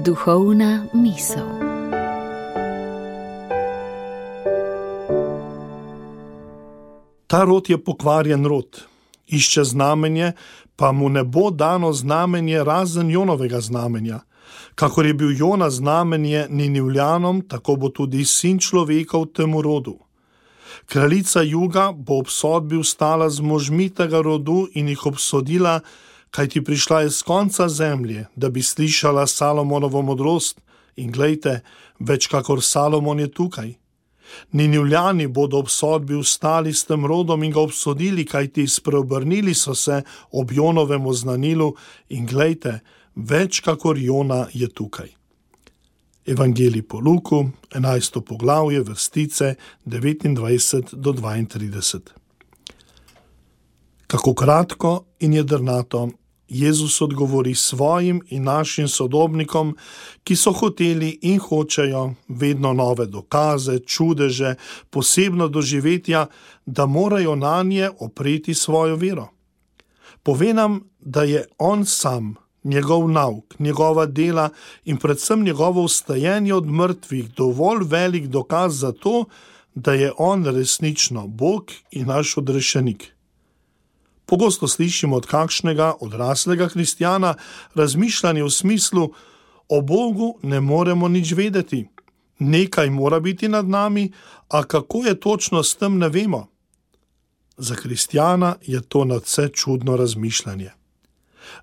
Duhovna misel. Ta rod je pokvarjen rod, išče znamenje, pa mu ne bo dano znamenje razen Jonovega znamenja. Kakor je bil Jona znamenje Ninivljanom, tako bo tudi sin človekov temu rodu. Kraljica juga bo ob sodbi vstala z možmi tega rodu in jih obsodila, kajti prišla je z konca zemlje, da bi slišala Salomonovo modrost, in glejte, več kakor Salomon je tukaj. Ninivljani bodo ob sodbi vstali s tem rodom in ga obsodili, kajti spreobrnili so se ob Jonovem oznanilu, in glejte, več kakor Jona je tukaj. Evangelij po Luku, 11. poglavje, vrstice 29 do 32. Kako kratko in jedrnato Jezus odgovori svojim in našim sodobnikom, ki so hoteli in hočejo vedno nove dokaze, čudeže, posebno doživetja, da morajo nanje opreti svojo vero. Pove nam, da je on sam, njegov nauk, njegova dela in predvsem njegovo vstajenje od mrtvih dovolj velik dokaz za to, da je on resnično Bog in naš odrešenik. Pogosto slišimo od kakšnega odraslega kristjana razmišljanje v smislu: o Bogu ne moremo nič vedeti, nekaj mora biti nad nami, a kako je točno s tem, ne vemo. Za kristjana je to nadvse čudno razmišljanje.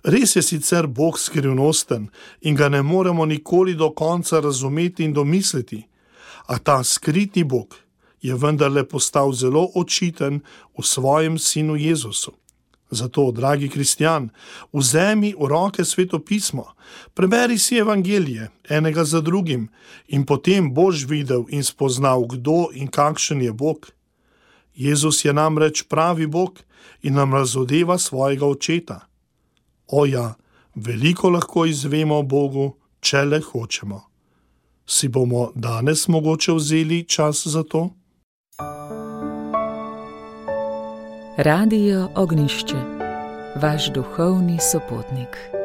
Res je sicer Bog skrivnosten in ga ne moremo nikoli do konca razumeti in domisliti, a ta skriti Bog je vendarle postal zelo očiten v svojem sinu Jezusu. Zato, dragi kristjan, vzemi v roke Sveto pismo, preberi si evangelije enega za drugim in potem boš videl in spoznal, kdo in kakšen je Bog. Jezus je namreč pravi Bog in nam razodeva svojega očeta. O ja, veliko lahko izvemo o Bogu, če le hočemo. Si bomo danes mogoče vzeli čas za to? Radio Ognjišče, vaš duhovni sopotnik.